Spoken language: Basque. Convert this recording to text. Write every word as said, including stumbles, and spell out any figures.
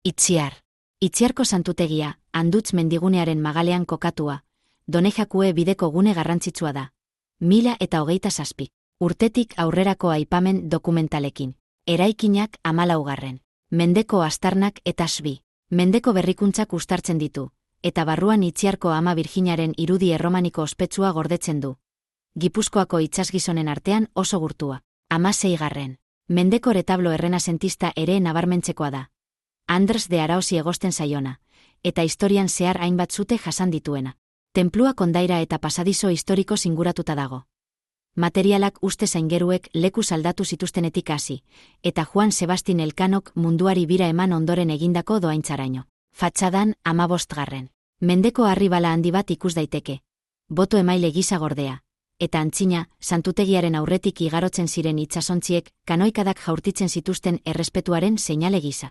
Itziar. Itziarko santutegia, Andutz mendigunearen magalean kokatua, Donejakue bideko gune garrantzitsua da. Mila eta hogeita zazpi. Urtetik aurrerako aipamen dokumentalekin. Eraikinak hamalaugarren. Mendeko astarnak eta sbi. Mendeko berrikuntzak uztartzen ditu, eta barruan Itziarko Ama Birjinaren irudi erromaniko ospetsua gordetzen du. Gipuzkoako itsasgizonen artean oso gurtua. Hamaseigarren. Mendeko retablo errenazentista ere nabarmentzekoa da. Andres de Araosi egosten zaiona, eta historian zehar hainbat zute jasan dituena. Tenplua kondaira eta pasadizo historiko zinguratuta dago. Materialak uste zaingeruek leku aldatu zituztenetik hasi, eta Juan Sebastin Elkanok munduari bira eman ondoren egindako doaintzaraino. Fatxadan hamabostgarren. Mendeko harribala handi bat ikus daiteke. Boto emaile gisa gordea. Eta antzina, santutegiaren aurretik igarotzen ziren itsasontziek, kanoikadak jaurtitzen zituzten errespetuaren seinale gisa.